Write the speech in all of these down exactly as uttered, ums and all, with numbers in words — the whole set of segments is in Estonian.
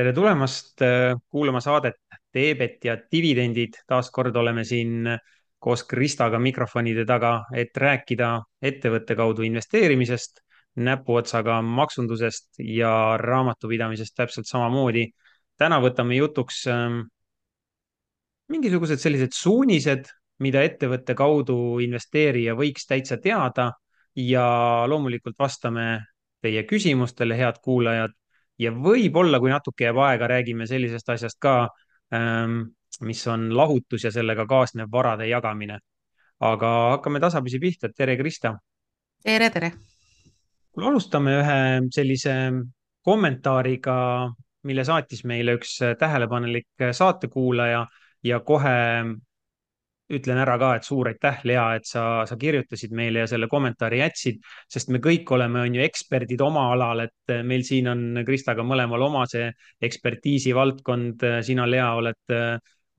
Tere tulemast äh, kuulama saadet Teebet ja dividendid. Taas kord oleme siin koos Kristaga mikrofonide taga, et rääkida ettevõtte kaudu investeerimisest, näpuotsaga maksundusest ja raamatupidamisest täpselt samamoodi. Täna võtame jutuks ähm, mingisugused sellised suunised, mida ettevõtte kaudu investeerija võiks täitsa teada ja loomulikult vastame teie küsimustele, head kuulajad. Ja võib-olla, kui natuke jääb aega, räägime sellisest asjast ka, ähm, mis on lahutus ja sellega kaasnev varade jagamine. Aga hakkame tasapisi pihta. Tere, Krista! tere, tere. Kuule, alustame ühe sellise kommentaariga, mille saatis meile üks tähelepanelik saatekuulaja ja kohe ütlen ära ka, et suur aitäh, Lea, et sa, sa kirjutasid meile ja selle kommentaari jätsid, sest me kõik oleme, on ju, eksperdid oma alal, et meil siin on Kristaga mõlemal oma see ekspertiisi valdkond. Sina, Lea, oled,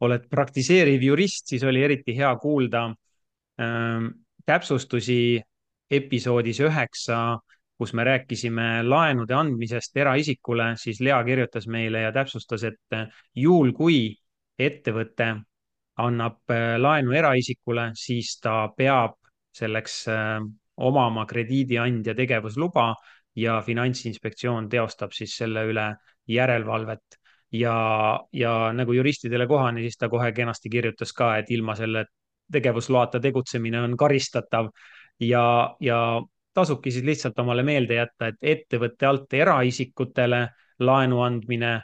oled praktiseeriv jurist, siis oli eriti hea kuulda ähm, täpsustusi episoodis üheksa, kus me rääkisime laenude andmisest eraisikule, siis Lea kirjutas meile ja täpsustas, et juhul kui ettevõte annab äh, laenu eraisikule, siis ta peab selleks äh, omama krediidiandja tegevusluba ja Finantsinspektsioon teostab siis selle üle järelevalvet. Ja, ja nagu juristidele kohane, siis ta kohe kenasti kirjutas ka, et ilma selle tegevusloata tegutsemine on karistatav ja, ja tasubki siis lihtsalt omale meelde jätta, et ettevõtte alt eraisikutele laenu andmine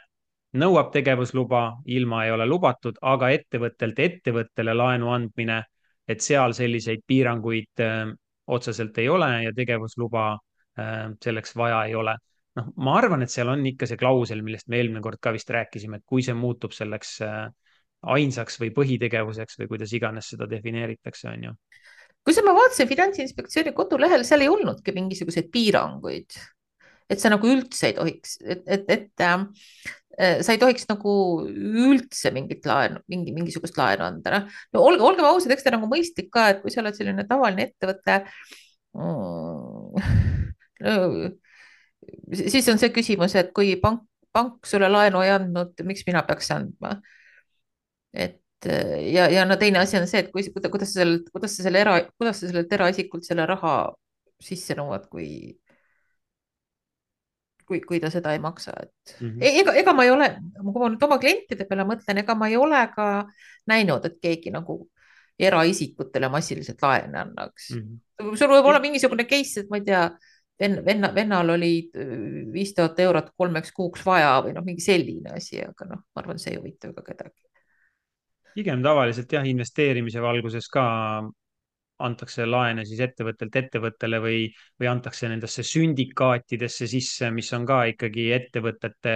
nõuab tegevusluba, ilma ei ole lubatud, aga ettevõttelt ettevõttele laenu andmine, et seal selliseid piiranguid äh, otseselt ei ole ja tegevusluba äh, selleks vaja ei ole. Noh, ma arvan, et seal on ikka see klausel, millest me eelmine kord ka vist rääkisime, et kui see muutub selleks äh, ainsaks või põhitegevuseks või kuidas iganes seda defineeritakse, on ju. Kui ma vaatasin Finantsinspektsiooni kodulehel, seal ei olnudki mingisuguseid piiranguid, et sa nagu üldse ei tohiks, et, et, et äh, sa ei tohiks nagu üldse mingit laenu, mingi, mingisugust laenu anda. Noh, no olge, olgem ausad, eks ta nagu mõistlik ka, et kui sa oled selline tavaline ettevõte mm, no, siis on see küsimus, et kui pank, pank sulle laenu ei andnud, miks mina peaks andma? Et ja, ja no teine asi on see, et kui, kuidas sa sellelt, kuidas sa selle era, kuidas sa sellelt eraisikult selle raha sisse nõuad, kui, kui, kui ta seda ei maksa, et Mm -hmm. e- ega, ega ma ei ole, kui ma nüüd oma klientide peale mõtlen, ega ma ei ole ka näinud, et keegi nagu eraisikutele massiliselt laene annaks. Mm sul võib olla -hmm. mingisugune case, et ma ei tea, venna, venna, vennal oli viis tuhat eurot kolmeks kuuks vaja või noh, mingi selline asi, aga noh, ma arvan, see ei huvita ka kedagi. Pigem tavaliselt jah, investeerimise valguses ka antakse laene siis ettevõttelt ettevõttele või, või antakse nendesse sündikaatidesse sisse, mis on ka ikkagi ettevõtete,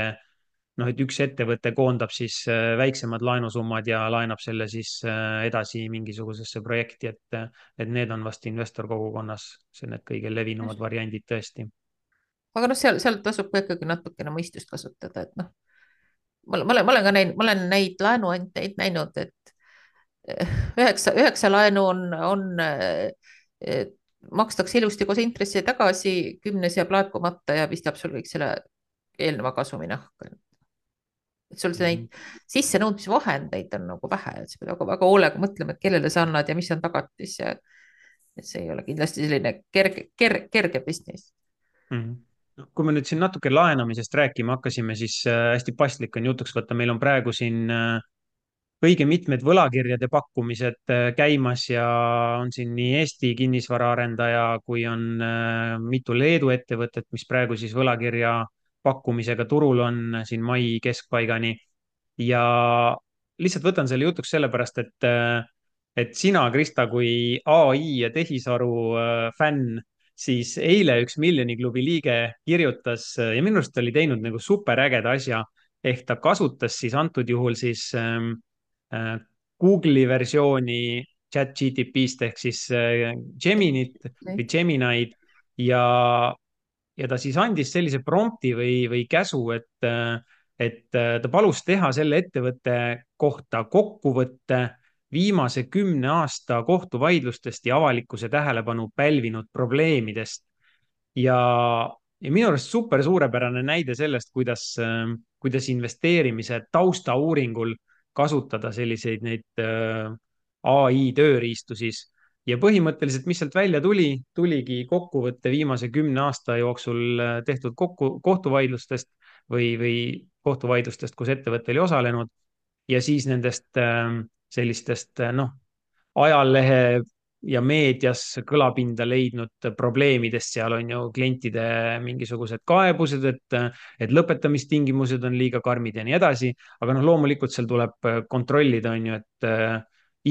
noh, et üks ettevõte koondab siis äh, väiksemad laenusummad ja laenab selle siis äh, edasi mingisugusesse projekti, et, et need on vast investorkogukonnas see need kõige levinumad variandid tõesti. aga noh, seal, seal tasub ka ikkagi natukene mõistust kasutada, et noh, ma, ma olen, ma olen ka näinud, ma olen neid laenuandjaid näinud, et eh, üheksa, üheksa laenu on, on eh, makstakse ilusti koos intressi tagasi, kümnes jääb laekumata ja pistab sul kõik selle eelneva kasumi nahka. Et sul neid Mhm. sissenõudmisvahendeid on nagu vähe, et sa pead väga, väga hoolega mõtlema, et kellele sa annad ja mis on tagatis ja et see ei ole kindlasti selline kerge, kerge, kerge business. Mhm. No, kui me nüüd siin natuke laenamisest rääkima hakkasime, siis äh, hästi paslik on jutuks võtta, meil on praegu siin äh, õige mitmed võlakirjade pakkumised äh, käimas ja on siin nii Eesti kinnisvaraarendaja kui on äh, mitu Leedu ettevõtet, mis praegu siis võlakirja pakkumisega turul on äh, siin mai keskpaigani. Ja lihtsalt võtan selle jutuks sellepärast, et, äh, et sina, Krista, kui A I ja tehisaru äh, fänn, siis eile üks Miljoni klubi liige kirjutas äh, ja minu arust oli teinud nagu superägeda asja, ehk ta kasutas siis antud juhul siis ähm, äh, Google'i versiooni chat-G T P-st ehk siis äh, Geminit või Gemini'd ja, ja ta siis andis sellise prompti või, või käsu, et, äh, et äh, ta palus teha selle ettevõtte kohta kokkuvõtte viimase kümne aasta kohtuvaidlustest ja avalikkuse tähelepanu pälvinud probleemidest. ja ja minu arust super suurepärane näide sellest, kuidas, kuidas investeerimise taustauuringul kasutada selliseid neid A I tööriistu siis. Ja põhimõtteliselt, mis sealt välja tuli, tuligi kokkuvõtte viimase kümne aasta jooksul tehtud kokku, kohtuvaidlustest või, või kohtuvaidlustest, kus ettevõte oli osalenud ja siis nendest sellistest, noh, ajalehe ja meedias kõlapinda leidnud probleemidest, seal on ju klientide mingisugused kaebused, et, et lõpetamistingimused on liiga karmid ja nii edasi, aga noh, loomulikult seal tuleb kontrollida, on ju, et äh,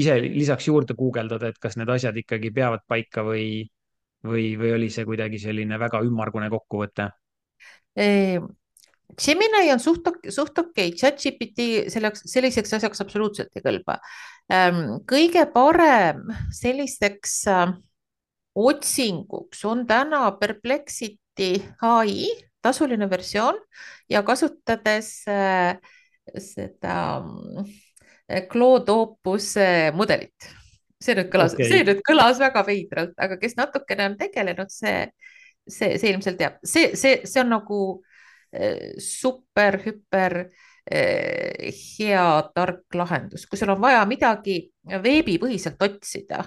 ise lisaks juurde guugeldada, et kas need asjad ikkagi peavad paika või, või, või oli see kuidagi selline väga ümmargune kokkuvõte. Gemini on suht, suht okei okay., ChatGPT selleks, selliseks asjaks absoluutselt ei kõlba. Kõige parem selliseks otsinguks on täna Perplexity A I tasuline versioon ja kasutades seda Claude Opuse mudelit. See nüüd kõlas okay., see nüüd kõlas väga veidralt, aga kes natukene on tegelenud, see, see, see ilmselt teab. See, see, see on nagu super, hüper hea, tark lahendus, kui sul on vaja midagi veebipõhiselt otsida.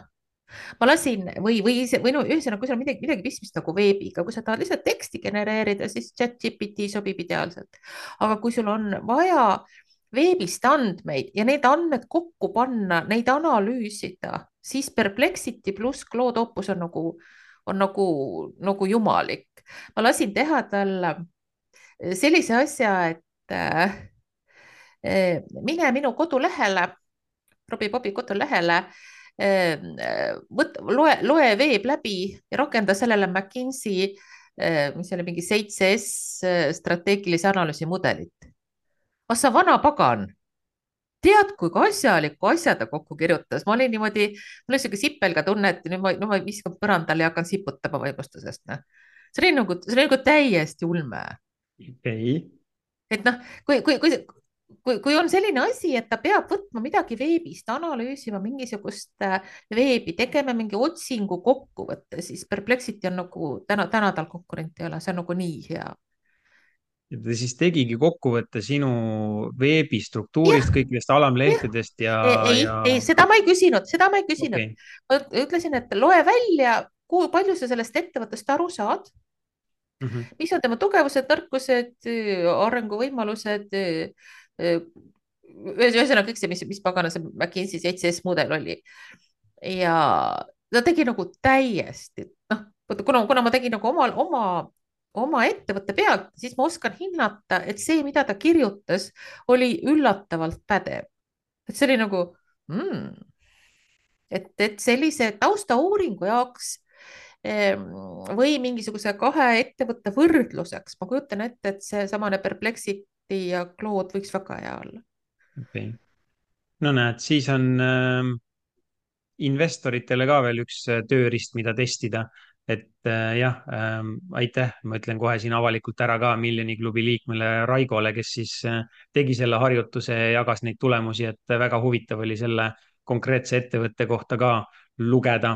Ma lasin või, või, või no ühesõnaga, kui sul on midagi, midagi pistmist nagu veebiga, kui sa tahad lihtsalt teksti genereerida, siis ChatGPT sobib ideaalselt. Aga kui sul on vaja veebist andmeid ja neid andmed kokku panna, neid analüüsida, siis Perplexity pluss Claude Opus on nagu, on nagu, nagu jumalik. Ma lasin teha talle sellise asja, et äh, mine minu kodulehele, Robbie Bobi kodulehele, äh, võt, loe, loe veeb läbi ja rakenda sellele McKinsey, äh, mis oli mingi seitse S strateegilise analüüsi mudelit. Ah sa vana pagan, tead, kui asjaliku asja ta kokku kirjutas. Ma olin niimoodi, mul oli siuke sipelga tunne, et nüüd ma, no ma viskan põrandale ja hakkan siputama võimustusest. See oli nagu, see oli nagu täiesti ulme. Okay. Et noh, kui, kui, kui, kui, kui on selline asi, et ta peab võtma midagi veebist, analüüsima mingisugust veebi, tegema mingi otsingu kokkuvõtte, siis Perplexity on nagu täna, täna tal konkurenti ei ole, see on nagu nii hea. Ja ta siis tegigi kokkuvõtte sinu veebistruktuurist, kõikidest alamlehtedest ja, ei, ja... ei, seda ma ei küsinud, seda ma ei küsinud okay.. ma ütlesin, et loe välja, kui palju sa sellest ettevõttest aru saad mm, -hmm. mis on tema tugevused, nõrkused, arenguvõimalused, ühesõnaga kõik see, mis, mis pagana see McKinsey seitse S mudel oli. ja ta tegi nagu täiesti, noh, kuna, kuna ma tegin nagu oma, oma oma ettevõtte pealt, siis ma oskan hinnata, et see, mida ta kirjutas, oli üllatavalt pädev. Et see oli nagu, mm, et, et sellise taustauuringu jaoks või mingisuguse kahe ettevõtte võrdluseks, ma kujutan ette, et see samane Perplexity ja Claude võiks väga hea olla. Okay. No näed, siis on äh, investoritele ka veel üks tööriist, mida testida. Et äh, jah äh,, aitäh, ma ütlen kohe siin avalikult ära ka Miljoni klubi liikmele Raigole, kes siis äh, tegi selle harjutuse ja jagas neid tulemusi, et väga huvitav oli selle konkreetse ettevõtte kohta ka lugeda.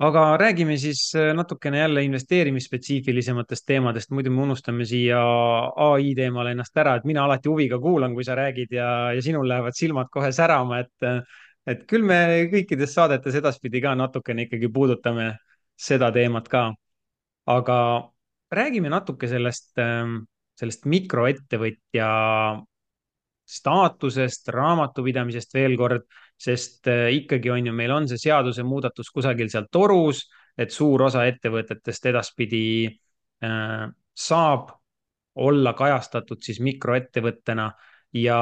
Aga räägime siis natukene jälle investeerimisspetsiifilisematest teemadest, muidu me unustame siia A I teemal ennast ära, et mina alati huviga kuulan, kui sa räägid ja, ja sinul lähevad silmad kohe särama, et, et küll me kõikides saadetes edaspidi ka natukene ikkagi puudutame seda teemat ka. Aga räägime natuke sellest, sellest mikroettevõtja staatusest, raamatupidamisest veel kord, sest ikkagi on ju, meil on see seadusemuudatus kusagil seal torus, et suur osa ettevõtetest edaspidi äh, saab olla kajastatud siis mikroettevõttena ja,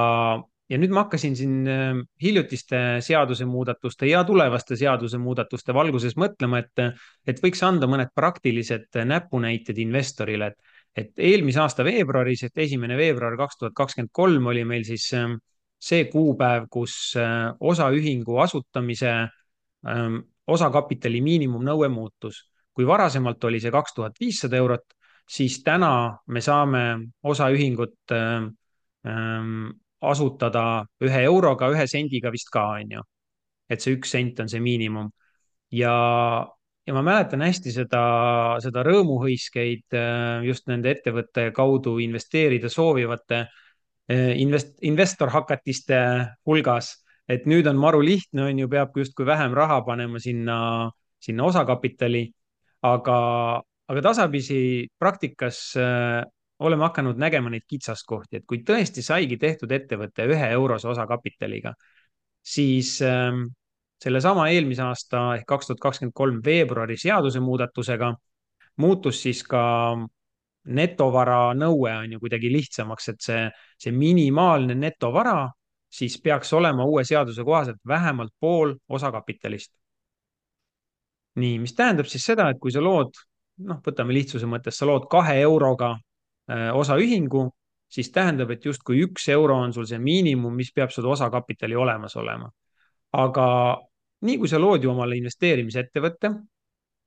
ja nüüd ma hakkasin siin äh, hiljutiste seadusemuudatuste ja tulevaste seadusemuudatuste valguses mõtlema, et, et võiks anda mõned praktilised näpunäited investorile, et et eelmise aasta veebruaris, et esimene veebruar kaks tuhat kakskümmend kolm oli meil siis see kuupäev, kus osaühingu asutamise osakapitali miinimumnõue muutus. Kui varasemalt oli see kaks tuhat viissada eurot, siis täna me saame osaühingut asutada ühe euroga, ühe sendiga vist ka, on ju. Et see üks sent on see miinimum. Ja Ja ja ma mäletan hästi seda, seda rõõmuhõiskeid äh, just nende ettevõtte kaudu investeerida soovivate äh, invest-, investorhakatiste hulgas, et nüüd on maru lihtne, on ju, peab justkui vähem raha panema sinna, sinna osakapitali, aga, aga tasapisi praktikas äh, oleme hakanud nägema neid kitsaskohti, et kui tõesti saigi tehtud ettevõte ühe eurose osakapitaliga, siis ähm, sellesama eelmise aasta ehk kaks tuhat kakskümmend kolm veebruari seadusemuudatusega muutus siis ka netovara nõue on ju kuidagi lihtsamaks, et see, see minimaalne netovara siis peaks olema uue seaduse kohaselt vähemalt pool osakapitalist. Nii, mis tähendab siis seda, et kui sa lood, noh, võtame lihtsuse mõttes, sa lood kahe euroga äh, osaühingu, siis tähendab, et justkui üks euro on sul see miinimum, mis peab sul osakapitali olemas olema. Aga nii kui sa lood ju omale investeerimisettevõtte,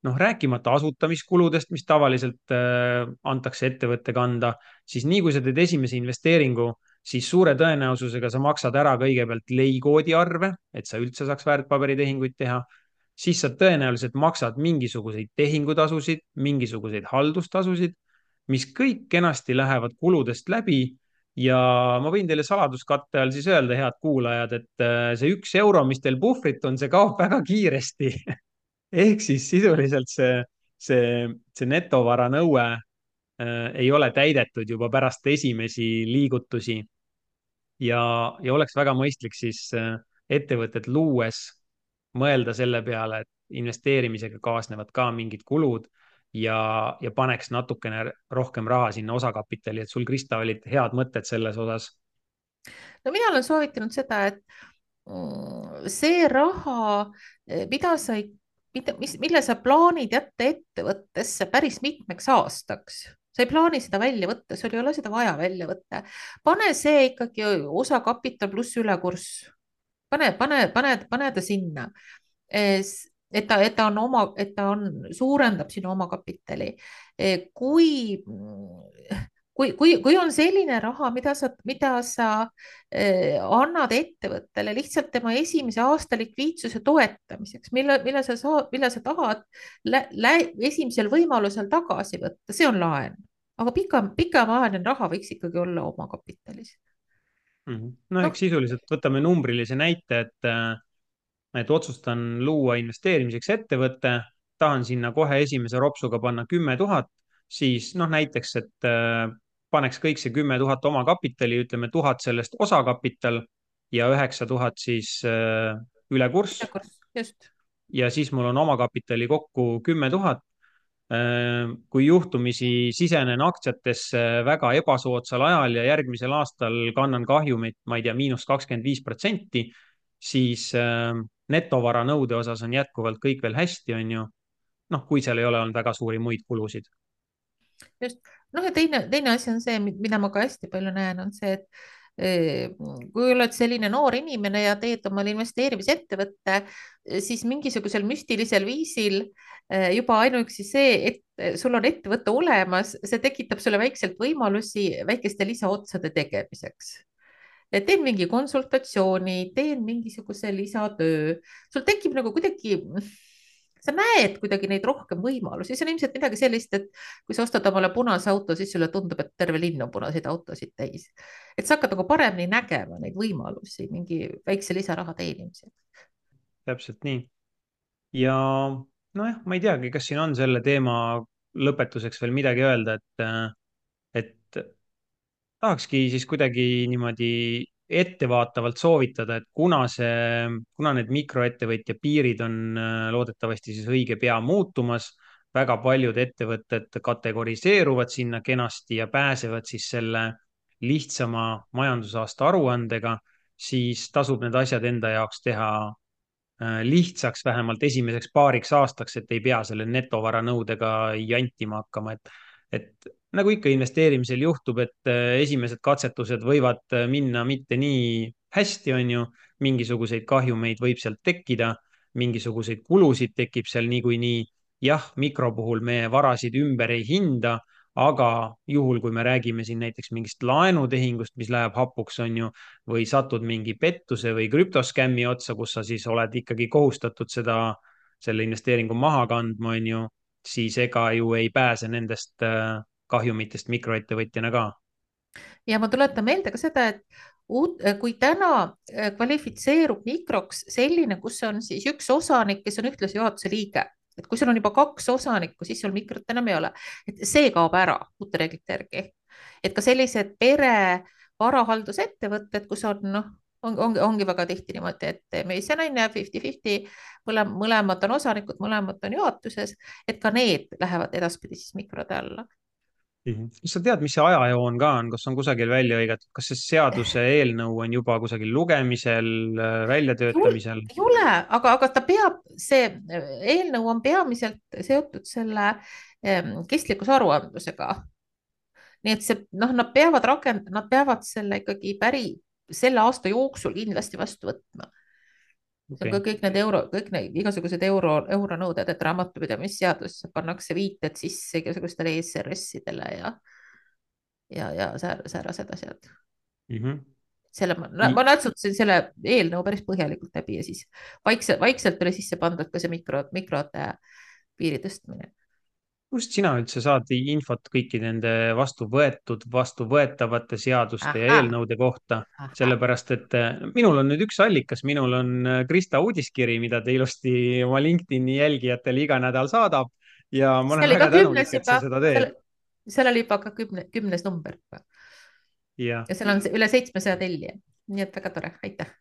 noh, rääkimata asutamiskuludest, mis tavaliselt äh, antakse ettevõtte kanda, siis nii kui sa teed esimese investeeringu, siis suure tõenäosusega sa maksad ära kõigepealt leikoodi arve, et sa üldse saaks väärtpaberitehinguid teha, siis sa tõenäoliselt maksad mingisuguseid tehingutasusid, mingisuguseid haldustasusid, mis kõik kenasti lähevad kuludest läbi. Ja ma võin teile saladuskatte all siis öelda, head kuulajad, et äh, see üks euro, mis teil puhvrit on, see kaob väga kiiresti. Ehk siis sisuliselt see, see, see netovara nõue äh, ei ole täidetud juba pärast esimesi liigutusi ja, ja oleks väga mõistlik siis äh, ettevõtet luues mõelda selle peale, et investeerimisega kaasnevad ka mingid kulud ja, ja paneks natukene rohkem raha sinna osakapitali, et sul, Krista, olid head mõtted selles osas. no mina olen soovitanud seda, et mm, see raha, mida sa ei, mida, mis, mille sa plaanid jätta ettevõttesse päris mitmeks aastaks, sa ei plaani seda välja võtta, sul ei ole seda vaja välja võtta. pane see ikkagi osakapital pluss ülekurss, pane, pane, pane, pane ta sinna, et ta, et ta on oma, et ta on, suurendab sinu omakapitali. kui kui, kui, kui on selline raha, mida sa, mida sa eh, annad ettevõttele lihtsalt tema esimese aasta likviidsuse toetamiseks, mille, mille sa saad, mille sa tahad lä, lä, esimesel võimalusel tagasi võtta, see on laen. aga pika, pikemaajaline raha võiks ikkagi olla omakapitalis. Mm -hmm. No noh, eks sisuliselt võtame numbrilise näite, et, et otsustan luua investeerimiseks ettevõtte, tahan sinna kohe esimese ropsuga panna kümme tuhat, siis noh, näiteks, et paneks kõik see kümme tuhat omakapitali, ütleme tuhat sellest osakapital ja üheksa tuhat siis äh, ülekurss. just. Ja siis mul on omakapitali kokku kümme tuhat. Kui juhtumisi sisenen aktsiatesse väga ebasoodsal ajal ja järgmisel aastal kannan kahjumit, ma ei tea, miinus kakskümmend viis protsenti, siis netovara nõude osas on jätkuvalt kõik veel hästi, on ju. Noh, kui seal ei ole olnud väga suuri muid kulusid. just, noh ja teine, teine asi on see, mida ma ka hästi palju näen, on see, et kui oled selline noor inimene ja teed omale investeerimisettevõtte, siis mingisugusel müstilisel viisil juba ainuüksi see, et sul on ettevõte olemas, see tekitab sulle väikselt võimalusi väikeste lisaotsade tegemiseks. teen mingi konsultatsiooni, teen mingisuguse lisatöö, sul tekib nagu kuidagi, sa näed kuidagi neid rohkem võimalusi, see on ilmselt midagi sellist, et kui sa ostad omale punase auto, siis sulle tundub, et terve linn on punaseid autosid täis. et sa hakkad nagu paremini nägema neid võimalusi mingi väikse lisaraha teenimisel. Täpselt nii. Ja nojah, ma ei teagi, kas siin on selle teema lõpetuseks veel midagi öelda, et, et tahakski siis kuidagi niimoodi ettevaatavalt soovitada, et kuna see, kuna need mikroettevõtja piirid on loodetavasti siis õige pea muutumas, väga paljud ettevõtted kategoriseeruvad sinna kenasti ja pääsevad siis selle lihtsama majandusaasta aruandega, siis tasub need asjad enda jaoks teha lihtsaks vähemalt esimeseks paariks aastaks, et ei pea selle netovara nõudega jantima hakkama, et, et nagu ikka investeerimisel juhtub, et esimesed katsetused võivad minna mitte nii hästi, on ju, mingisuguseid kahjumeid võib sealt tekkida, mingisuguseid kulusid tekib seal niikuinii. Jah, mikro puhul me varasid ümber ei hinda, aga juhul, kui me räägime siin näiteks mingist laenutehingust, mis läheb hapuks, on ju, või satud mingi pettuse või krüptoskämmi otsa, kus sa siis oled ikkagi kohustatud seda, selle investeeringu maha kandma, on ju, siis ega ju ei pääse nendest äh, kahjumitest mikroettevõtjana ka. ja ma tuletan meelde ka seda, et uut, kui täna äh, kvalifitseerub mikroks selline, kus on siis üks osanik, kes on ühtlasi juhatuse liige, et kui sul on juba kaks osanikku, siis sul mikrot enam ei ole, et see kaob ära uute reeglite järgi. et ka sellised pere varahaldusettevõtted, kus on noh, on, ongi, ongi väga tihti niimoodi, et mees ja naine fifty fifty, mõlemad, mõlemad on osanikud, mõlemad on juhatuses, et ka need lähevad edaspidi siis mikrode alla. Mhm. kas sa tead, mis see ajajoon ka on, kas on kusagil välja hõigatud, kas see seaduse eelnõu on juba kusagil lugemisel, väljatöötamisel? ei ole, aga, aga ta peab, see eelnõu on peamiselt seotud selle kestlikkusaruandlusega. nii et see, noh, nad peavad rakend-, nad peavad selle ikkagi päri selle aasta jooksul kindlasti vastu võtma. see on Okay. ka kõik need euro, kõik need igasugused euro, euronõuded, et raamatupidamisseadusesse pannakse viited sisse igasugustele E S R S-idele ja, ja, ja säärased asjad. Mm -hmm. selle ma, ma natsutasin selle eelnõu päris põhjalikult läbi ja siis vaikselt, vaikselt oli sisse pandud ka see mikro, mikrode piiri tõstmine. kust sina üldse saad infot kõiki nende vastu võetud, vastuvõetavate seaduste ja ahah, eelnõude kohta? ahah. sellepärast, et minul on nüüd üks allikas, minul on Krista uudiskiri, mida ta ilusti oma LinkedIni jälgijatele iga nädal saadab ja ma see olen oli ka väga kümnes tänulik, et sa juba, seda teed. seal oli juba ka kümne, kümnes number ja ja seal on üle seitsmesaja tellija, nii et väga tore, aitäh.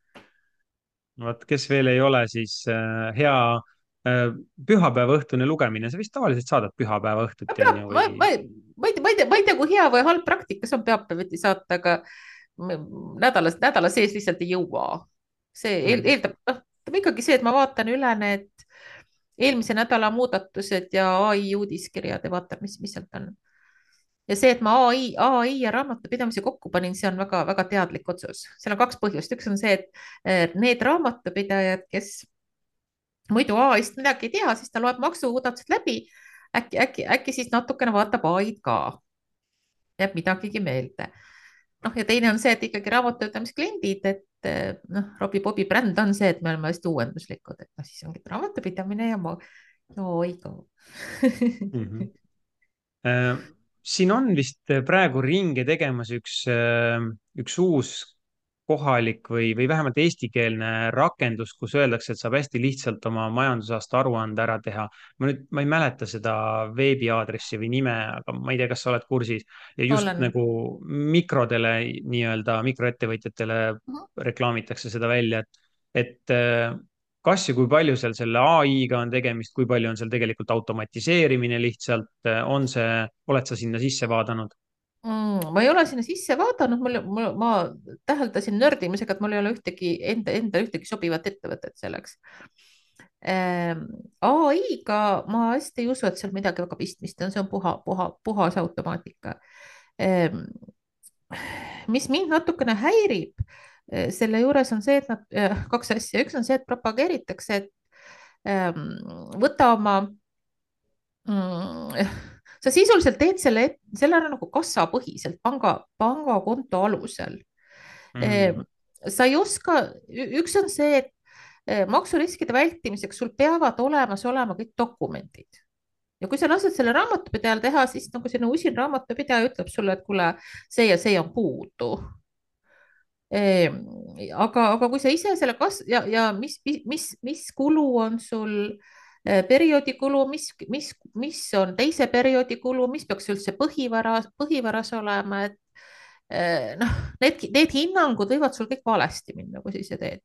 vot, kes veel ei ole, siis äh, hea äh, pühapäeva õhtune lugemine, sa vist tavaliselt saadad pühapäeva õhtuti, on ju, ma, või? ma, ma ei tea, ma ei tea, ma ei tea, kui hea või halb praktika see on pühapäeviti saata, aga nädalas, nädala sees lihtsalt ei jõua. see eel, Mhm. eeldab, noh, ikkagi see, et ma vaatan üle need eelmise nädala muudatused ja A I uudiskirjad ja vaatan, mis, mis sealt on. ja see, et ma A I, A I ja raamatupidamise kokku panin, see on väga-väga teadlik otsus. seal on kaks põhjust. üks on see, et need raamatupidajad, kes muidu A I-st midagi ei tea, siis ta loeb maksumuudatused läbi. äkki, äkki, äkki siis natukene vaatab A I-d ka, jääb midagigi meelde. noh, ja teine on see, et ikkagi raamatupidamiskliendid, et noh, Robbie-Bobi bränd on see, et me oleme hästi uuenduslikud, et noh, siis ongi raamatupidamine ja ma, no ei ka. Mhm. Äh, siin on vist praegu ringe tegemas üks, äh, üks uus kohalik või, või vähemalt eestikeelne rakendus, kus öeldakse, et saab hästi lihtsalt oma majandusaasta aruande ära teha. ma nüüd, ma ei mäleta seda veebiaadressi või nime, aga ma ei tea, kas sa oled kursis. ja just olen. nagu mikrodele, nii-öelda mikroettevõtjatele reklaamitakse seda välja, et, et äh, kas ja kui palju seal selle A I-ga on tegemist, kui palju on seal tegelikult automatiseerimine lihtsalt, on see, oled sa sinna sisse vaadanud? Mm, ma ei ole sinna sisse vaadanud, mul, mul, ma täheldasin nördimisega, et mul ei ole ühtegi enda, enda ühtegi sobivat ettevõtet selleks. Ähm, A I-ga ma hästi ei usu, et seal midagi väga pistmist on, see on puha, puha, puhas automaatika. Ähm, mis mind natukene häirib äh, selle juures on see, et nad, äh, kaks asja, üks on see, et propageeritakse, et ähm, võta oma mm, sa sisuliselt teed selle, selle ära nagu kassapõhiselt, panga, pangakonto alusel. Mm. sa ei oska, üks on see, et eh, maksuriskide vältimiseks sul peavad olemas olema kõik dokumendid. ja kui sa lased selle raamatupidajal teha, siis nagu selline usin raamatupidaja ütleb sulle, et kuule, see ja see on puudu. aga, aga kui sa ise selle kas- ja, ja mis, mis, mis kulu on sul eh, perioodi kulu, mis, mis, mis on teise perioodi kulu, mis peaks üldse põhivara, põhivaras olema, et eh, noh, need, need hinnangud võivad sul kõik valesti minna, kui sa ise teed.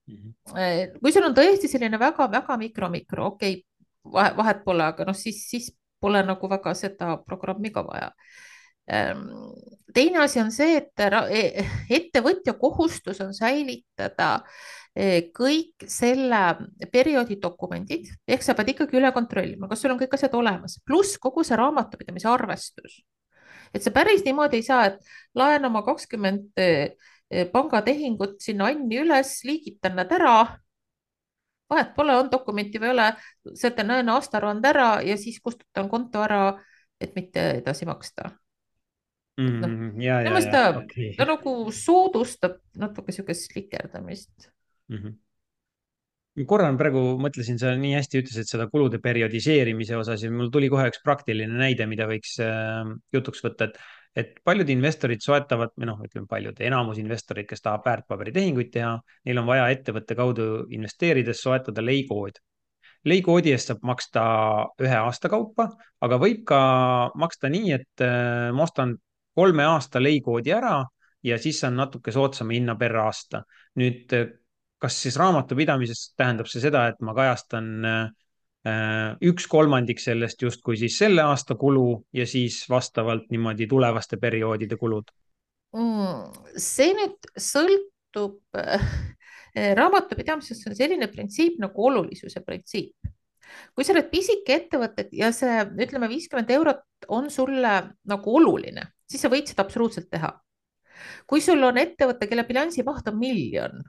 Mhm. Eh, kui sul on tõesti selline väga-väga mikro-mikro, okei okay,, vahet, vahet pole, aga noh, siis, siis pole nagu väga seda programmi ka vaja. Ehm, teine asi on see, et e-, ettevõtja kohustus on säilitada eh, kõik selle perioodi dokumendid, ehk sa pead ikkagi üle kontrollima, kas sul on kõik asjad olemas, pluss kogu see raamatupidamise arvestus. et see päris niimoodi ei saa, et laen oma kakskümmend eh, pangatehingut sinna Anni üles, liigitan nad ära, vahet pole, on dokumenti või ei ole, sätan näen aastaaruande ära ja siis kustutan konto ära, et mitte edasi maksta. et noh, Mm, ja, minu ja, meelest ja, ta, okei ta okay. nagu soodustab natuke niisugust slikerdamist. Mm -hmm. korra praegu mõtlesin, sa nii hästi ütlesid seda kulude periodiseerimise osas ja mul tuli kohe üks praktiline näide, mida võiks äh, jutuks võtta, et, et paljud investorid soetavad, või noh, ütleme paljud, enamus investorid, kes tahab väärtpaberitehinguid teha, neil on vaja ettevõtte kaudu investeerides soetada leikood. leikoodi eest saab maksta ühe aasta kaupa, aga võib ka maksta nii, et äh, ma ostan kolme aasta leikoodi ära ja siis saan natuke soodsama hinna per aasta. nüüd äh, kas siis raamatupidamises tähendab see seda, et ma kajastan äh, üks kolmandik sellest justkui siis selle aasta kulu ja siis vastavalt niimoodi tulevaste perioodide kulud? mm,? see nüüd sõltub äh, raamatupidamises on selline printsiip nagu olulisuse printsiip. kui sa oled pisike ettevõte ja see, ütleme, viiskümmend eurot on sulle nagu oluline, siis sa võid seda absoluutselt teha. kui sul on ettevõte, kelle bilansi maht on miljon,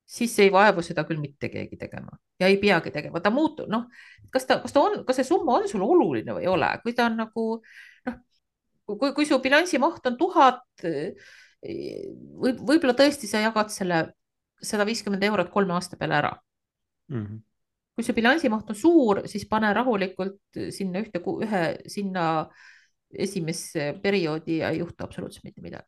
siis ei vaevu seda küll mitte keegi tegema ja ei peagi tegema, ta muutub, noh, kas ta, kas ta on, kas see summa on sulle oluline või ei ole, kui ta on nagu noh, kui, kui su bilansi maht on tuhat, võib, võib-olla tõesti sa jagad selle sada viiskümmend eurot kolme aasta peale ära mm. -hmm. kui see bilansi maht on suur, siis pane rahulikult sinna ühte, ühe sinna esimesse perioodi ja ei juhtu absoluutselt mitte midagi.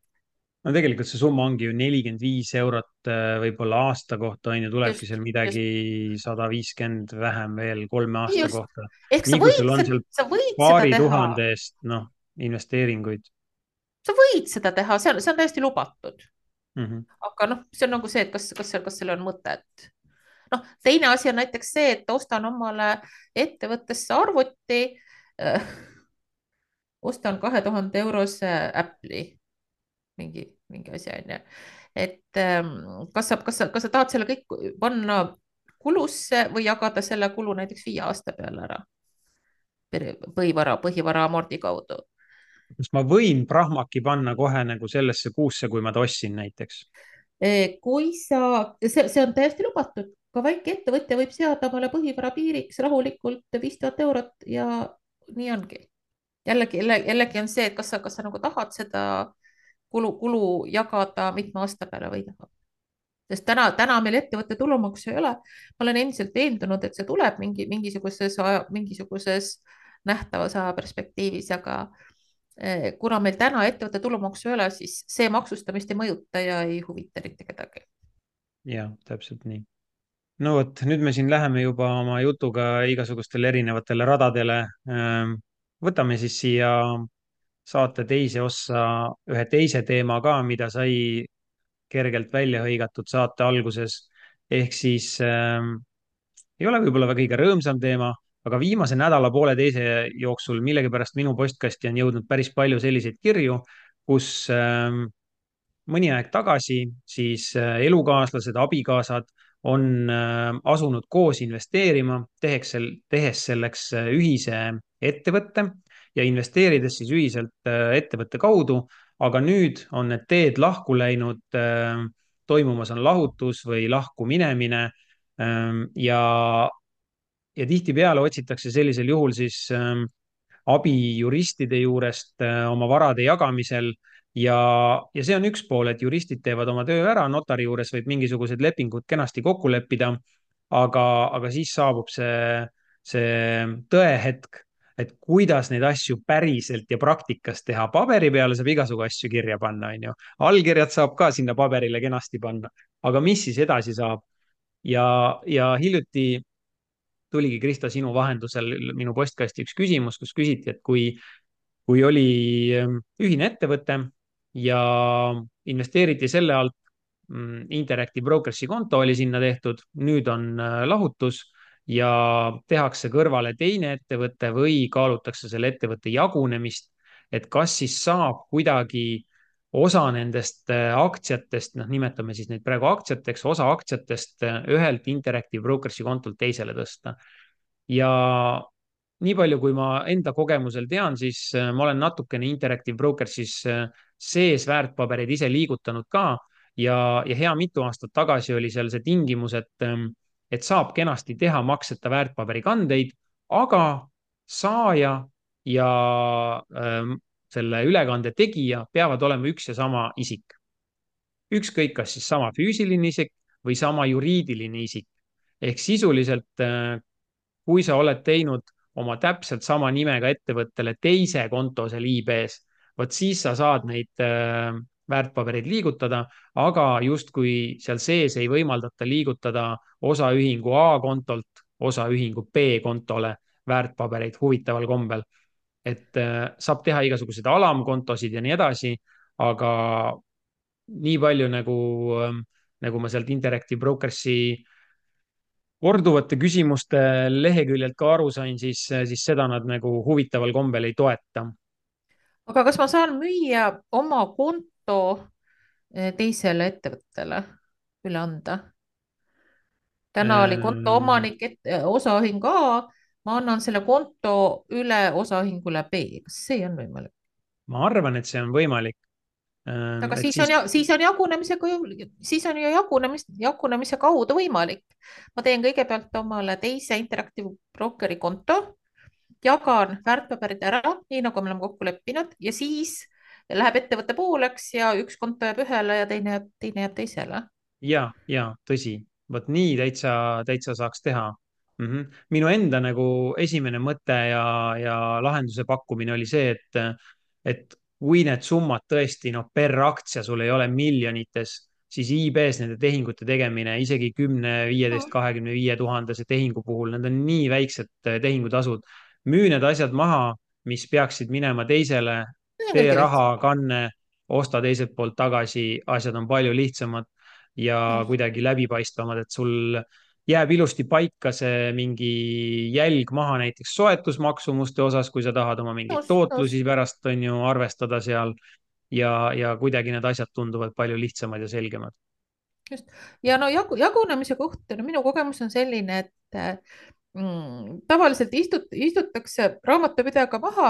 no tegelikult see summa ongi ju nelikümmend viis eurot võib-olla aasta kohta on ju, tulebki just, seal midagi just, sada viiskümmend vähem veel kolme aasta just. kohta. ehk sa nii kui sul võid, on seal sa võid seda paari teha, tuhande eest, noh, investeeringuid sa võid seda teha, see on, see on täiesti lubatud. mm. -hmm. aga noh, see on nagu see, et kas, kas, kas sellel on mõtet. noh, teine asi on näiteks see, et ostan omale ettevõttesse arvuti äh,, ostan kahe tuhande eurose Apple'i, mingi, mingi asi on ju. et ähm, kas sa, kas sa, kas sa tahad selle kõik panna kulusse või jagada selle kulu näiteks viie aasta peale ära põhivara, põhivara amordi kaudu. kas ma võin Prahmaki panna kohe nagu sellesse kuusse, kui ma ta ostsin näiteks? kui sa, see, see on täiesti lubatud, ka väike ettevõtja võib seada omale põhivara piiriks rahulikult viis tuhat eurot ja nii ongi. jällegi, jällegi on see, et kas sa, kas sa nagu tahad seda kulu, kulu jagada mitme aasta peale või ei taha. sest täna, täna meil ettevõtte tulumaksu ei ole. ma olen endiselt veendunud, et see tuleb mingi, mingisuguses, mingisuguses nähtavas aja perspektiivis, aga kuna meil täna ettevõtte tulumaksu ei ole, siis see maksustamist ei mõjuta ja ei huvita mitte kedagi. jah, täpselt nii. no vot, nüüd me siin läheme juba oma jutuga igasugustele erinevatele radadele. võtame siis siia saate teise ossa ühe teise teema ka, mida sai kergelt välja hõigatud saate alguses. ehk siis äh, ei ole võib-olla kõige rõõmsam teema, aga viimase nädala pooleteise jooksul millegipärast minu postkasti on jõudnud päris palju selliseid kirju, kus äh, mõni aeg tagasi siis äh, elukaaslased, abikaasad on äh, asunud koos investeerima, tehes, tehes selleks äh, ühise ettevõtte ja investeerides siis ühiselt äh, ettevõtte kaudu, aga nüüd on need teed lahku läinud äh,, toimumas on lahutus või lahku minemine äh, ja, ja tihtipeale otsitakse sellisel juhul siis äh, abi juristide juurest äh, oma varade jagamisel ja, ja see on üks pool, et juristid teevad oma töö ära, notari juures võib mingisugused lepingud kenasti kokku leppida, aga, aga siis saabub see, see tõehetk, et kuidas neid asju päriselt ja praktikas teha. Paberi peale saab igasugu asju kirja panna, on ju. Allkirjad saab ka sinna paberile kenasti panna, aga mis siis edasi saab? ja, ja hiljuti tuligi, Krista, sinu vahendusel minu postkasti üks küsimus, kus küsiti, et kui, kui oli ühine ettevõte ja investeeriti selle alt, Interactive Brokers'i konto oli sinna tehtud, nüüd on lahutus ja tehakse kõrvale teine ettevõte või kaalutakse selle ettevõtte jagunemist, et kas siis saab kuidagi osa nendest aktsiatest, noh, nimetame siis neid praegu aktsiateks, osa aktsiatest ühelt Interactive Brokers'i kontolt teisele tõsta. ja nii palju, kui ma enda kogemusel tean, siis ma olen natukene Interactive Brokers'is sees väärtpabereid ise liigutanud ka ja, ja hea mitu aastat tagasi oli seal see tingimus, et, et saab kenasti teha makseta väärtpaberikandeid, aga saaja ja ähm, selle ülekande tegija peavad olema üks ja sama isik. ükskõik, kas siis sama füüsiline isik või sama juriidiline isik. ehk sisuliselt, kui sa oled teinud oma täpselt sama nimega ettevõttele teise konto seal I B-s, vot siis sa saad neid äh, väärtpabereid liigutada, aga justkui seal sees ei võimaldata liigutada osaühingu A kontolt osaühingu B kontole väärtpabereid huvitaval kombel. et äh, saab teha igasuguseid alamkontosid ja nii edasi, aga nii palju nagu, nagu ma sealt Interactive Brokersi korduvate küsimuste leheküljelt ka aru sain, siis, siis seda nad nagu huvitaval kombel ei toeta. aga kas ma saan müüa oma konto eh, teisele ettevõttele, üle anda? täna oli konto Ehm, omanik et, eh, osaühing A, ma annan selle konto üle osaühingule B, kas see on võimalik? ma arvan, et see on võimalik. Ehm, aga et siis on, siis siis on jagunemisega ju, siis on ju jagunemist, jagunemise kaudu võimalik. ma teen kõigepealt omale teise Interactive Brokeri konto, jagan väärtpaberid ära, nii nagu me oleme kokku leppinud ja siis läheb ettevõtte pooleks ja üks konto jääb ühele ja teine, teine jääb teisele. ja, ja tõsi, vot nii täitsa, täitsa saaks teha mm. -hmm. minu enda nagu esimene mõte ja, ja lahenduse pakkumine oli see, et, et kui need summad tõesti, noh, per aktsia sul ei ole miljonites, siis I B-s nende tehingute tegemine isegi kümne, viieteist, kahekümne viie tuhandese tehingu puhul, need on nii väiksed tehingutasud. müü need asjad maha, mis peaksid minema teisele, see on tee kõige lihtsam. rahakanne, osta teiselt poolt tagasi, asjad on palju lihtsamad ja kuidagi läbipaistvamad, et sul jääb ilusti paika see mingi jälg maha näiteks soetusmaksumuste osas, kui sa tahad oma mingeid nõus, nõus, tootlusi pärast on ju arvestada seal ja, ja kuidagi need asjad tunduvad palju lihtsamad ja selgemad. just. ja no jagu, jagunemise kohta, no minu kogemus on selline, et mm, tavaliselt istut, istutakse raamatupidajaga maha,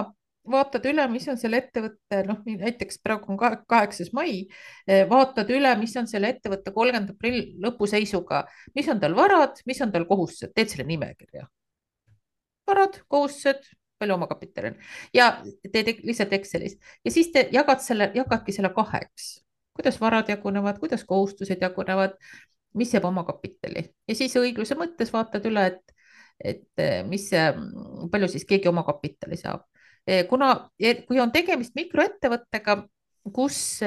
vaatad üle, mis on selle ettevõtte, noh, näiteks praegu on kaheksas mai, vaatad üle, mis on selle ettevõtte kolmkümnenda aprilli lõpuseisuga, mis on tal varad, mis on tal kohustused, teed selle nimekirja. varad, kohustused, palju omakapitali on ja teed lihtsalt Excelis ja siis te jagad selle, jagadki selle kaheks, kuidas varad jagunevad, kuidas kohustused jagunevad, mis jääb omakapitali ja siis õigluse mõttes vaatad üle, et, et mis, palju siis keegi omakapitali saab. kuna, kui on tegemist mikroettevõttega, kus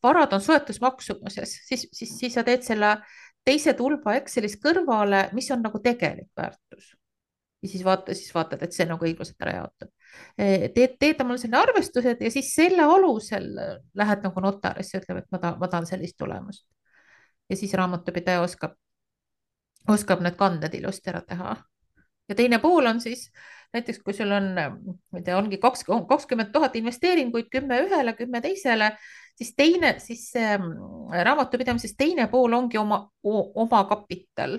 varad on soetusmaksumuses, siis, siis, siis sa teed selle teise tulba Excelis kõrvale, mis on nagu tegelik väärtus ja siis vaata, siis vaatad, et see nagu õiglaselt ära jaotab. teed, teed omal selle arvestused ja siis selle alusel lähed nagu notarisse, ütleb, et ma tahan, ma tahan sellist tulemust. ja siis raamatupidaja oskab, oskab need kanded ilusti ära teha. ja teine pool on siis näiteks, kui sul on, ma ei tea, ongi kaks, kakskümmend tuhat investeeringuid, kümme ühele, kümme teisele, siis teine, siis see raamatupidamises teine pool ongi oma, oma kapital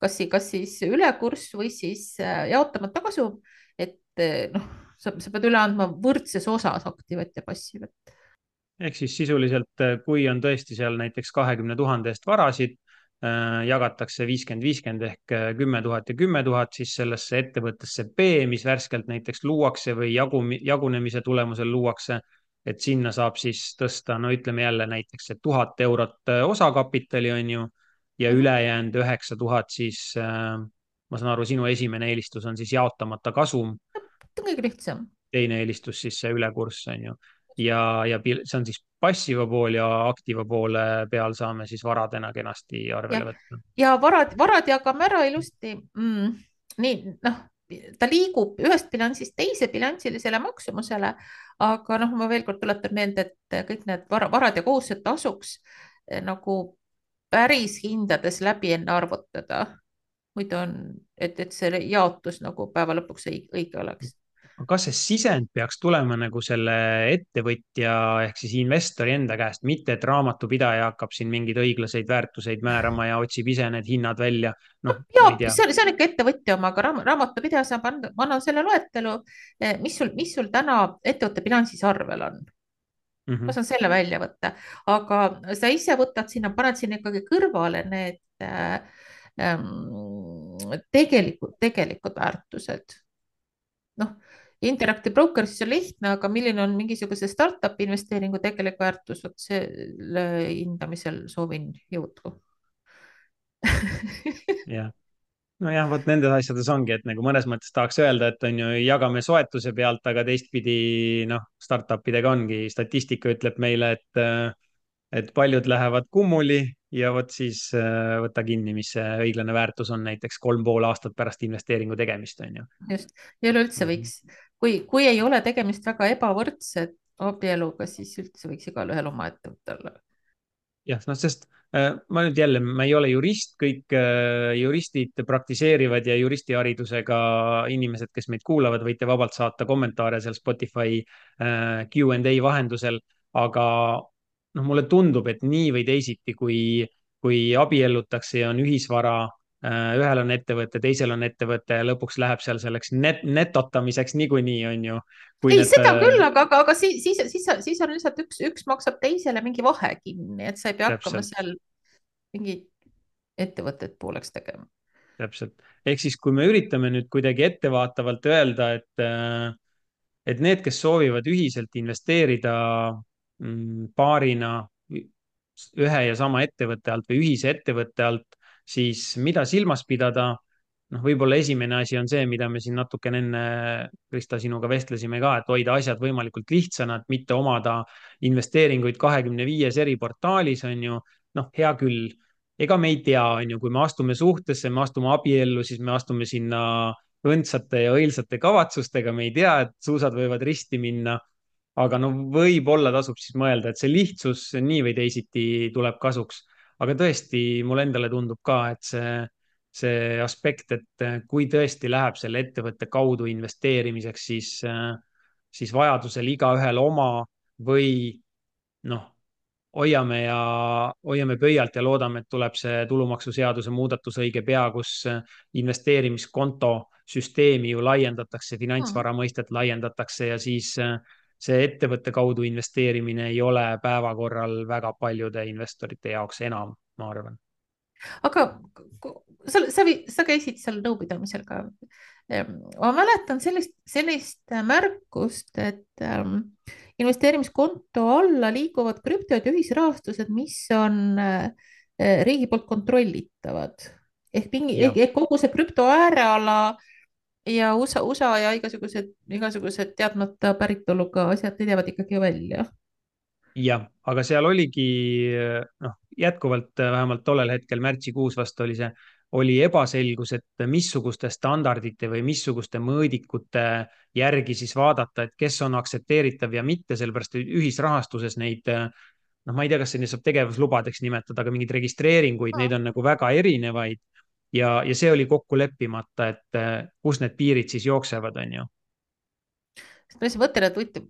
kas, kas siis ülekurss või siis jaotamata kasum, et noh, sa, sa pead üle andma võrdses osas aktiivat ja passiivat. ehk siis sisuliselt, kui on tõesti seal näiteks kahekümne tuhande eest varasid, jagatakse viiskümmend, viiskümmend ehk kümme tuhat ja kümme tuhat siis sellesse ettevõttesse B, mis värskelt näiteks luuakse või jagu, jagunemise tulemusel luuakse, et sinna saab siis tõsta, no ütleme jälle näiteks, et tuhat eurot osakapitali on ju ja Mm -hmm. ülejäänud üheksa tuhat siis äh, ma saan aru, sinu esimene eelistus on siis jaotamata kasum, see on kõige lihtsam. teine eelistus siis see ülekurss on ju. ja, ja see on siis passiva pool ja aktiiva poole peal saame siis varadena kenasti arvele ja, võtta. ja varad, varad jagame ära ilusti mm,. nii, noh, ta liigub ühest bilansist teise bilansilisele maksumusele, aga noh, ma veel kord tuletan meelde, et kõik need vara, varad ja kohustused tasuks eh, nagu päris hindades läbi enne arvutada. muidu on, et, et see jaotus nagu päeva lõpuks õige, õige oleks. kas see sisend peaks tulema nagu selle ettevõtja ehk siis investori enda käest, mitte et raamatupidaja hakkab siin mingeid õiglaseid väärtuseid määrama ja otsib ise need hinnad välja? no noh, ja ma ei tea. see on, see on ikka ettevõtja oma, aga raam, raamatupidaja saab anda, ma annan selle loetelu, mis sul, mis sul täna ettevõtte bilansis arvel on. Mm ma -hmm. saan selle välja võtta, aga sa ise võtad sinna, paned sinna ikkagi kõrvale need äh, tegelikud, tegelikud väärtused. noh, Interactive Brokeris on lihtne, aga milline on mingisuguse startup'i investeeringu tegelik väärtus, vot selle hindamisel soovin jõudu. jah. Nojah, vot nendes asjades ongi, et nagu mõnes mõttes tahaks öelda, et on ju, jagame soetuse pealt, aga teistpidi noh, startupidega ongi, statistika ütleb meile, et, et paljud lähevad kummuli ja vot siis äh, võta kinni, mis see õiglane väärtus on näiteks kolm pool aastat pärast investeeringu tegemist, on ju. just, ja üleüldse võiks, kui, kui ei ole tegemist väga ebavõrdse abieluga, siis üldse võiks igalühel oma ettevõte olla. jah, noh, sest äh, ma nüüd jälle, ma ei ole jurist, kõik äh, juristid praktiseerivad ja juristiharidusega inimesed, kes meid kuulavad, võite vabalt saata kommentaare seal Spotify äh, Q and A vahendusel, aga noh, mulle tundub, et nii või teisiti, kui, kui abiellutakse ja on ühisvara äh,, ühel on ettevõte, teisel on ettevõte ja lõpuks läheb seal selleks net, netotamiseks niikuinii, on ju, kui ei, need seda äh, küll, aga, aga, aga siis, siis, siis, siis on lihtsalt üks, üks maksab teisele mingi vahe kinni, et sa ei pea hakkama täpselt. seal mingit ettevõtet pooleks tegema. Täpselt. Ehk siis, kui me üritame nüüd kuidagi ettevaatavalt öelda, et, äh, et need, kes soovivad ühiselt investeerida mm, paarina ühe ja sama ettevõtte alt või ühise ettevõtte alt, siis mida silmas pidada? Noh, võib-olla esimene asi on see, mida me siin natukene enne, Krista, sinuga vestlesime ka, et hoida asjad võimalikult lihtsana, et mitte omada investeeringuid kahekümne viies eri portaalis, on ju. Noh, hea küll, ega me ei tea, on ju, kui me astume suhtesse, me astume abiellu, siis me astume sinna õndsate ja õilsate kavatsustega, me ei tea, et suusad võivad risti minna. Aga no võib-olla tasub siis mõelda, et see lihtsus nii või teisiti tuleb kasuks. Aga tõesti, mulle endale tundub ka, et see, see aspekt, et kui tõesti läheb selle ettevõtte kaudu investeerimiseks, siis, siis vajadusel igaühel oma või noh, hoiame ja hoiame pöialt ja loodame, et tuleb see tulumaksuseaduse muudatus õige pea, kus investeerimiskonto süsteemi ju laiendatakse, Hmm. finantsvara mõistet laiendatakse ja siis see ettevõtte kaudu investeerimine ei ole päevakorral väga paljude investorite jaoks enam, ma arvan. aga sa, sa, sa käisid seal nõupidamisel ka. Ma mäletan sellist, sellist märkust, et ähm, investeerimiskonto alla liiguvad krüptod ja ühisrahastused, mis on äh, riigi poolt kontrollitavad. ehk mingi, ja ehk kogu see krüpto ääreala ja U S A, U S A ja igasugused, igasugused teadmata päritoluga asjad, need jäävad ikkagi välja. jah, aga seal oligi noh, jätkuvalt vähemalt tollel hetkel märtsikuus vast oli see, oli ebaselgus, et missuguste standardite või missuguste mõõdikute järgi siis vaadata, et kes on aktsepteeritav ja mitte, sellepärast et ühisrahastuses neid, noh, ma ei tea, kas neid saab tegevuslubadeks nimetada, aga mingeid registreeringuid, neid on nagu väga erinevaid ja, ja see oli kokku leppimata, et kus need piirid siis jooksevad, on ju. ma lihtsalt mõtlen, et huvitav,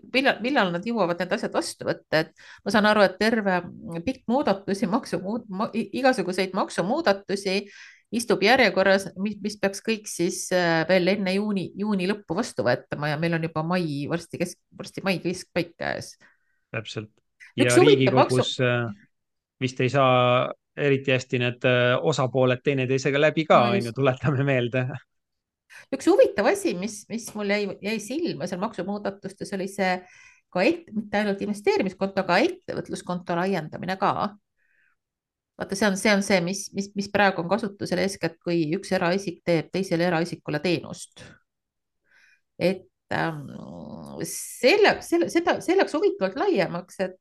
millal, millal nad jõuavad need asjad vastu võtta, et ma saan aru, et terve pikk muudatusi, maksu, igasuguseid maksumuudatusi istub järjekorras, mis, mis peaks kõik siis äh, veel enne juuni, juuni lõppu vastu võetama ja meil on juba mai, varsti kesk, varsti mai keskpaik käes. Täpselt. üks Ja huvitav maksu, Riigikogus vist ei saa eriti hästi need osapooled teineteisega läbi ka, no on ju, just, tuletame meelde. üks huvitav asi, mis, mis mul jäi, jäi silma seal maksumuudatustes, oli see ka et, mitte ainult investeerimiskonto, aga ettevõtluskonto laiendamine ka. vaata, see on, see on see, mis, mis, mis praegu on kasutusel eeskätt, kui üks eraisik teeb teisele eraisikule teenust. et ähm, selle, selle, seda, see läks huvitavalt laiemaks, et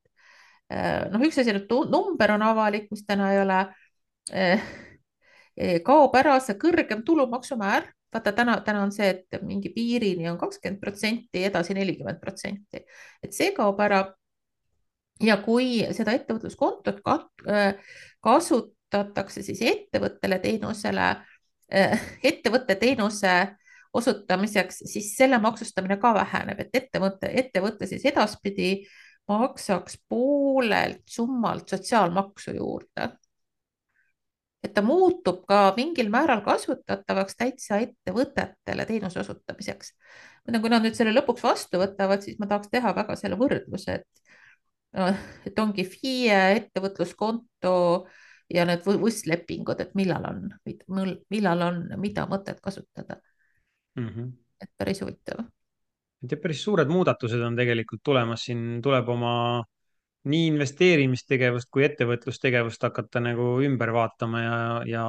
äh, noh, üks asi on, et number on avalik, mis täna ei ole äh,. kaob ära see kõrgem tulumaksumäär, vaata täna, täna on see, et mingi piirini on kakskümmend protsenti, edasi nelikümmend protsenti, et see kaob ära. ja kui seda ettevõtluskontot kasutatakse siis ettevõttele teenusele, ettevõtte teenuse osutamiseks, siis selle maksustamine ka väheneb, et ettevõte, ettevõte siis edaspidi maksaks poolelt summalt sotsiaalmaksu juurde. et ta muutub ka mingil määral kasutatavaks täitsa ettevõtetele teenuse osutamiseks. kui nad nüüd selle lõpuks vastu võtavad, siis ma tahaks teha väga selle võrdluse, et et ongi FIE, ettevõtluskonto ja need võistlepingud, et millal on, millal on, mida mõtet kasutada. mm. -hmm. et päris huvitav. et päris suured muudatused on tegelikult tulemas, siin tuleb oma nii investeerimistegevust kui ettevõtlustegevust hakata nagu ümber vaatama ja, ja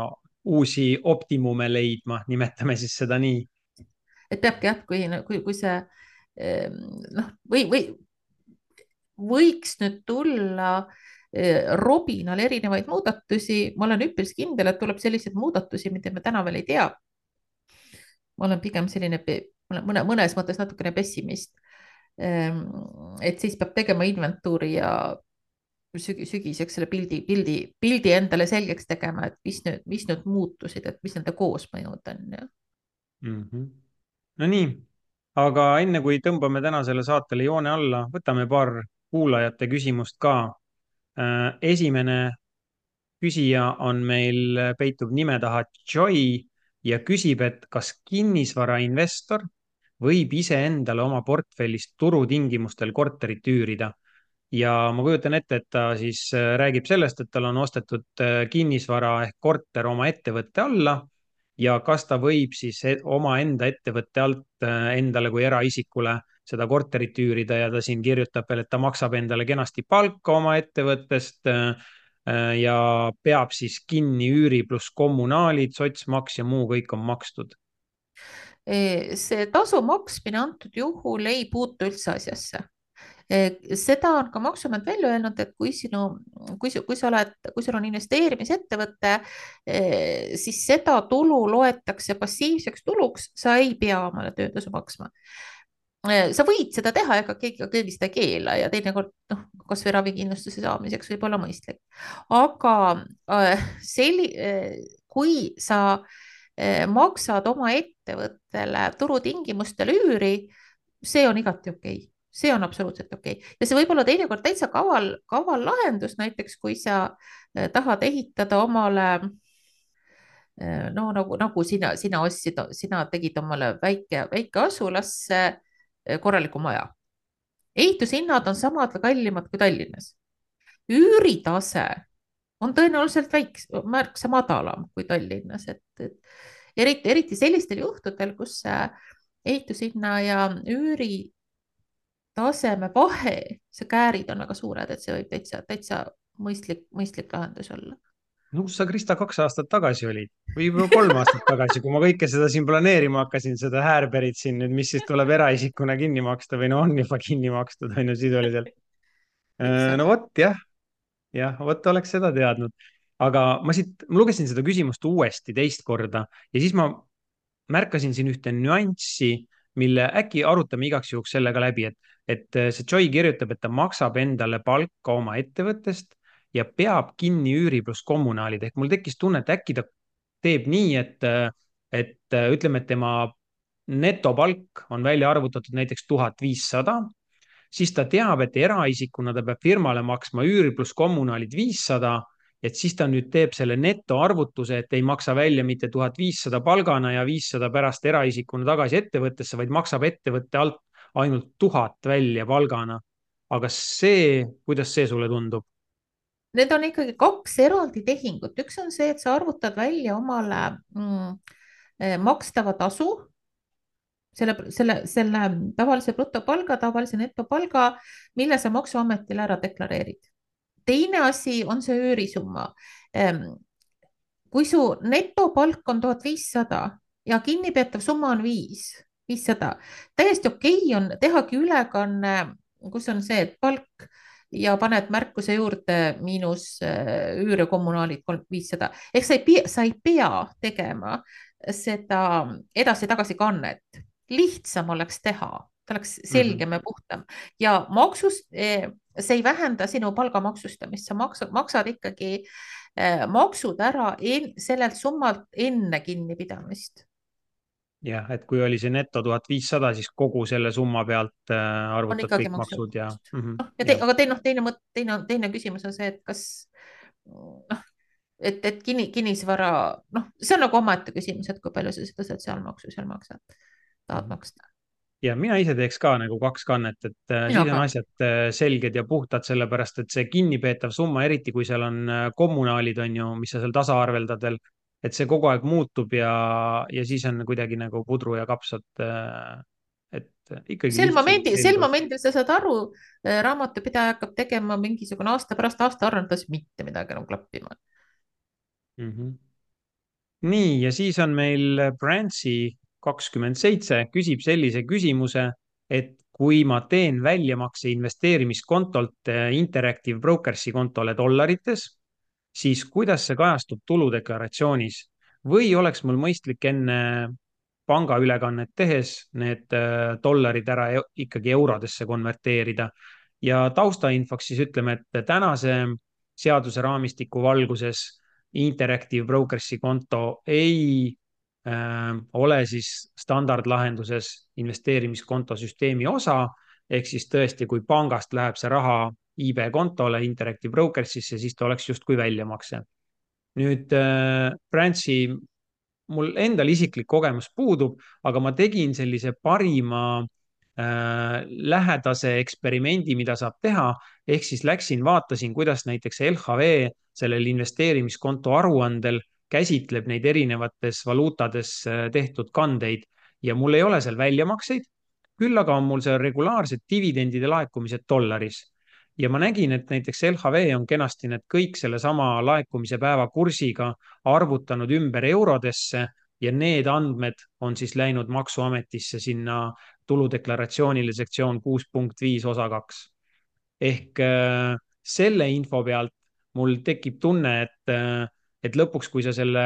uusi optimume leidma, nimetame siis seda nii. et peabki jah, kui, kui, kui see ehm, noh, või, või võiks nüüd tulla eh, Robinal erinevaid muudatusi, ma olen üpris kindel, et tuleb selliseid muudatusi, mida me täna veel ei tea. ma olen pigem selline, mõne, mõnes mõttes natukene pessimist. Ehm, et siis peab tegema inventuuri ja sügi, sügiseks selle pildi, pildi, pildi endale selgeks tegema, et mis nüüd, mis nüüd muutusid, et mis nende koosmõjud on ja. mm. -hmm. No nii, aga enne kui tõmbame tänasele saatele joone alla, võtame paar kuulajate küsimust ka. Äh, esimene küsija on meil, peitub nime taha Joy ja küsib, et kas kinnisvarainvestor võib iseendale oma portfellist turutingimustel korterit üürida. Ja ma kujutan ette, et ta siis äh, räägib sellest, et tal on ostetud äh, kinnisvara ehk korter oma ettevõtte alla ja kas ta võib siis e- omaenda ettevõtte alt äh, endale kui eraisikule seda korterit üürida ja ta siin kirjutab veel, et ta maksab endale kenasti palka oma ettevõttest äh, äh, ja peab siis kinni üüri pluss kommunaalid, sotsmaks ja muu kõik on makstud. Eh, see tasu maksmine antud juhul ei puutu üldse asjasse. Eh, seda on ka Maksuamet välja öelnud, et kui sinu, kui, kui sa oled, kui sul on investeerimisettevõte, eh, siis seda tulu loetakse passiivseks tuluks, sa ei pea omale töötasu maksma. Eh, sa võid seda teha, ega keegi, keegi seda ei keela ja teinekord noh, kasvõi ravikindlustuse saamiseks võib olla mõistlik. aga äh, selli, äh, kui sa äh, maksad oma ettevõttele turutingimustel üüri, see on igati okei okay. See on absoluutselt okei okay. Ja see võib olla teinekord täitsa kaval, kaval lahendus, näiteks kui sa äh, tahad ehitada omale äh, no nagu, nagu sina, sina ostsid, sina tegid omale väike, väike asulasse äh, korraliku maja. Ehitushinnad on samad või kallimad kui Tallinnas. Üüritase on tõenäoliselt väiks, märksa madalam kui Tallinnas, et, et eriti, eriti sellistel juhtudel, kus ehitushinna ja üüri taseme vahe, see käärid on väga suured, et see võib täitsa, täitsa mõistlik, mõistlik lahendus olla. No kus sa, Krista, kaks aastat tagasi olid või juba kolm aastat tagasi, kui ma kõike seda siin planeerima hakkasin, seda häärberit siin nüüd, mis siis tuleb eraisikuna kinni maksta või no on juba kinni makstud, on ju sisuliselt. No vot jah, jah, vot oleks seda teadnud. Aga ma siit, ma lugesin seda küsimust uuesti teist korda ja siis ma märkasin siin ühte nüanssi, mille äkki arutame igaks juhuks sellega läbi, et, et see Joy kirjutab, et ta maksab endale palka oma ettevõttest ja peab kinni üüri pluss kommunaalid. Ehk mul tekkis tunne, et äkki ta teeb nii, et, et ütleme, et tema netopalk on välja arvutatud näiteks tuhat viissada, siis ta teab, et eraisikuna ta peab firmale maksma üüri pluss kommunaalid viissada, et siis ta nüüd teeb selle netoarvutuse, et ei maksa välja mitte tuhat viissada palgana ja viissada pärast eraisikuna tagasi ettevõttesse, vaid maksab ettevõtte alt ainult tuhat välja palgana. Aga see, kuidas see sulle tundub? Need on ikkagi kaks eraldi tehingut. Üks on see, et sa arvutad välja omale mm, makstava tasu, selle, selle, selle tavalise brutopalga, tavalise netopalga, mille sa Maksuametile ära deklareerid. Teine asi on see üürisumma. Kui su netopalk on tuhat viissada ja kinnipeetav summa on viis, viissada, täiesti okei on tehagi ülekanne, kus on see, et palk ja paned märkuse juurde miinus üür ja kommunaalid viissada. Ehk sa ei pea, sa ei pea tegema seda edasi-tagasi kannet. Lihtsam oleks teha, ta oleks selgem ja puhtam ja maksust, see ei vähenda sinu palga maksustamist, sa maksad, maksad ikkagi maksud ära en, sellelt summalt enne kinnipidamist. Jah, et kui oli see neto tuhat viissada, siis kogu selle summa pealt arvutad kõik maksud ja, mm -hmm, no, ja te, aga teine, teine, teine, teine küsimus on see, et kas noh, et, et kinni, kinnisvara, noh, see on nagu omaette küsimus, et kui palju sa seda sotsiaalmaksu seal maksad, tahad maksta. Ja mina ise teeks ka nagu kaks kannet, et mina siis on ka. Asjad selged ja puhtad, sellepärast et see kinnipeetav summa, eriti kui seal on kommunaalid, on ju, mis sa seal tasaarveldad veel, et see kogu aeg muutub ja, ja siis on kuidagi nagu pudru ja kapsad et ikkagi sel lihtsus ja momendil, sel selgus. momendil sa saad aru, raamatupidaja hakkab tegema mingisugune aasta pärast aastaaruandes mitte midagi enam klappima. Mm -hmm. nii, ja siis on meil Branchi kakskümmend seitse küsib sellise küsimuse, et kui ma teen väljamakse investeerimiskontolt Interactive Brokersi kontole dollarites, siis kuidas see kajastub tuludeklaratsioonis või oleks mul mõistlik enne pangaülekannet tehes need äh, dollarid ära e ikkagi eurodesse konverteerida. Ja taustainfoks siis ütleme, et tänase seaduse raamistiku valguses Interactive Brokersi konto ei äh, ole siis standardlahenduses investeerimiskonto süsteemi osa, ehk siis tõesti, kui pangast läheb see raha I B kontole Interactive Brokersisse, siis ta oleks justkui väljamakse. Nüüd äh, Branchi mul endal isiklik kogemus puudub, aga ma tegin sellise parima äh, lähedase eksperimendi, mida saab teha, ehk siis läksin, vaatasin, kuidas näiteks L H V sellel investeerimiskonto aruandel käsitleb neid erinevates valuutades äh, tehtud kandeid ja mul ei ole seal väljamakseid, küll aga on mul seal regulaarsed dividendide laekumised dollaris. Ja ma nägin, et näiteks L H V on kenasti need kõik sellesama laekumise päeva kursiga arvutanud ümber eurodesse ja need andmed on siis läinud Maksuametisse sinna tuludeklaratsioonile sektsioon kuus punkt viis osa kaks. Ehk äh, selle info pealt mul tekib tunne, et, äh, et lõpuks, kui sa selle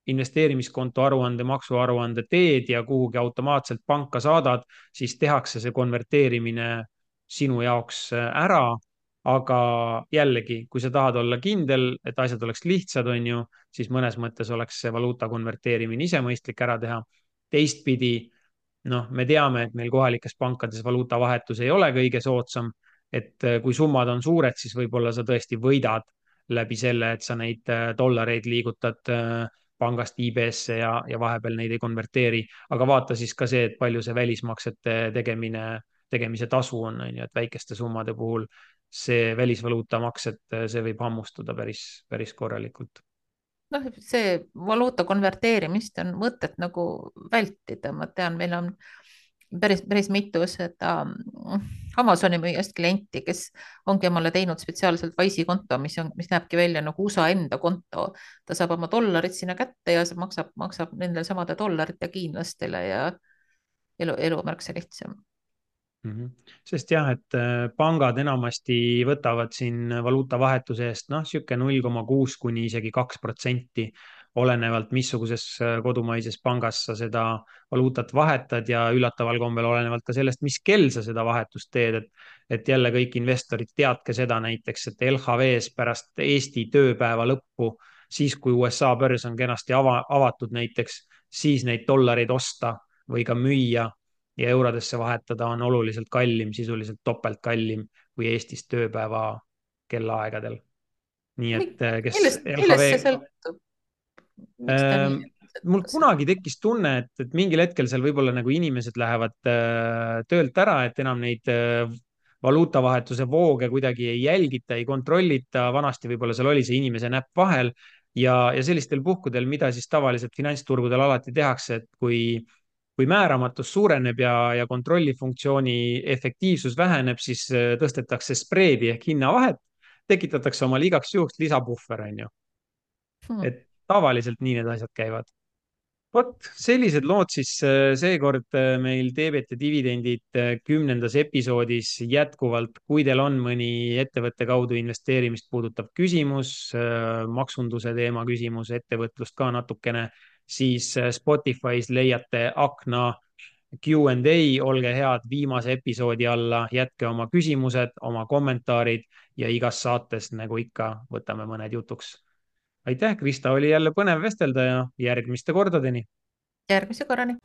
investeerimiskonto aruande, maksuaruande teed ja kuhugi automaatselt panka saadad, siis tehakse see konverteerimine sinu jaoks äh, ära. Aga jällegi, kui sa tahad olla kindel, et asjad oleks lihtsad, on ju, siis mõnes mõttes oleks see valuuta konverteerimine ise mõistlik ära teha. Teistpidi, noh, me teame, et meil kohalikes pankades valuutavahetus ei ole kõige soodsam, et kui summad on suured, siis võib-olla sa tõesti võidad läbi selle, et sa neid dollareid liigutad pangast I B-sse ja, ja vahepeal neid ei konverteeri, aga vaata siis ka see, et palju see välismaksete tegemine, tegemise tasu on, on ju, et väikeste summade puhul see välisvaluutamaks, et see võib hammustuda päris, päris korralikult. Noh, see valuuta konverteerimist on mõtet nagu vältida, ma tean, meil on päris, päris mitu seda Amazoni müüjast klienti, kes ongi omale teinud spetsiaalselt Wise'i konto, mis on, mis näebki välja nagu U S A enda konto. Ta saab oma dollarid sinna kätte ja see maksab, maksab nendele samade dollarite hiinlastele ja elu, elu märksa lihtsam. Mm -hmm. Sest jah, et pangad enamasti võtavad siin valuutavahetuse eest noh, sihuke null koma kuus kuni isegi kaks protsenti, olenevalt missuguses kodumaises pangas sa seda valuutat vahetad ja üllataval kombel olenevalt ka sellest, mis kell sa seda vahetust teed, et, et jälle kõik investorid teadke seda näiteks, et L H V-s pärast Eesti tööpäeva lõppu, siis kui U S A börs on kenasti ava, avatud näiteks, siis neid dollareid osta või ka müüa ja eurodesse vahetada on oluliselt kallim, sisuliselt topelt kallim kui Eestis tööpäeva kellaaegadel. nii et kes millest, millest see L H V sõltub? Miks ta nii ähm, on? mul kunagi tekkis tunne, et, et mingil hetkel seal võib-olla nagu inimesed lähevad äh, töölt ära, et enam neid äh, valuutavahetuse vooge kuidagi ei jälgita, ei kontrollita. Vanasti võib-olla seal oli see inimese näpp vahel ja, ja sellistel puhkudel, mida siis tavaliselt finantsturgudel alati tehakse, et kui kui määramatus suureneb ja, ja kontrollifunktsiooni efektiivsus väheneb, siis tõstetakse spreedi ehk hinnavahet, tekitatakse omale igaks juhuks lisapuhver, on ju. Hmm. Et tavaliselt nii need asjad käivad. Vot sellised lood siis seekord meil Teebet ja dividendid kümnendas episoodis jätkuvalt. Kui teil on mõni ettevõtte kaudu investeerimist puudutav küsimus, maksunduse teema küsimus, ettevõtlust ka natukene, siis Spotify's leiate akna Q and A, olge head viimase episoodi alla, jätke oma küsimused, oma kommentaarid ja igas saates, nagu ikka, võtame mõned jutuks. Aitäh, Krista, oli jälle põnev vestelda ja järgmiste kordadeni. Järgmise korrani.